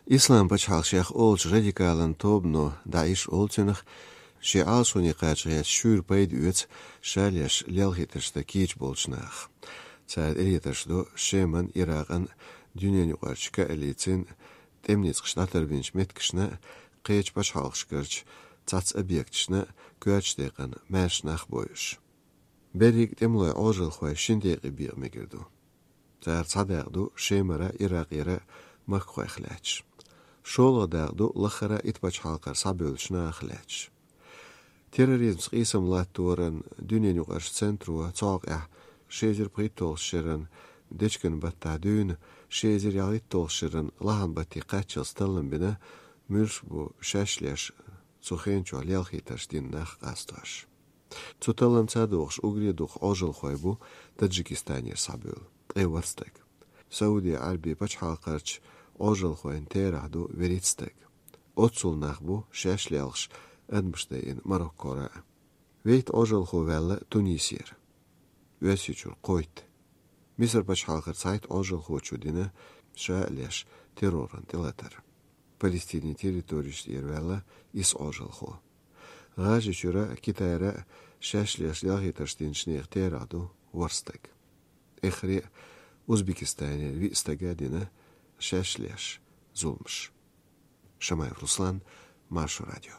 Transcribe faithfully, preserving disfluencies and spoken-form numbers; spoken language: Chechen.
Ислам пачхьалкх шех олучу радикалан тобано ДАИШ олу цунах, шен Ӏалашоне кхача гӀерташ шуьйра пайда оьцу ша леш лелхийтаршна кийча болчу наха. Цара тӀелетарш до Шеман, Иракъан, дуьненаюкъарчу коалицин тӀеман ницкъаш дӀатарбинчу меттигашна, кхечу пачхьалкхашкарчу цхьацца объекташна, коьртачу декъана маьрша нах бойуш. Берриг тӀемалойн Ӏожалхой шина декъе бекъа мегар ду. Цара цхьа дакъа ду Шемара, Иракъера махкахойх лаьтташ. ШолгӀа дакъа ду лаххара итт пачхьалкхара схьабевллачу нахах лаьтташ. Терроризмца къийсам латторан дуьненаюкъарчу центро цу хьокъехь ши эзар пхийтталгӀачу шеран дечкен баттахь дуьйна ши эзар ялхитталгӀачу шеран лахьан батте кхаччалц таллам бина, муьлш бу шаьш леш цу хенчохь лелхийтарш дина нах къастош. Цу талламца догӀуш уггаре дукха Ӏожалхой бу Таджикистанера схьабевлла, ткъе ворхӀ стаг. Сауди Ӏаьрби пачхьалкхарчу Ӏожалхойн терахь ду вуьрхӀитта стаг. Оццул нах бу шаьш лелхаш адамаш дайина Мароккора а. ВуьрхӀитта Ӏожалхо ваьлла Тунисера. Оьрсийчуьра кхойтта. Мисар пачхьалкхара цхьайтта Ӏожалхочо дина ша а леш терроран тӀелатар. Палестинан территорешна тӀера ваьлла исс Ӏожалхо. ГӀажарийчуьра, Китайра шаьш леш лелхийтарш динчу нехан терахь ду ворхӀ стаг. Эххар а Узбекистанера виъ стага дина шаьш леш зуламаш. Шамаев Руслан, Маршо радио.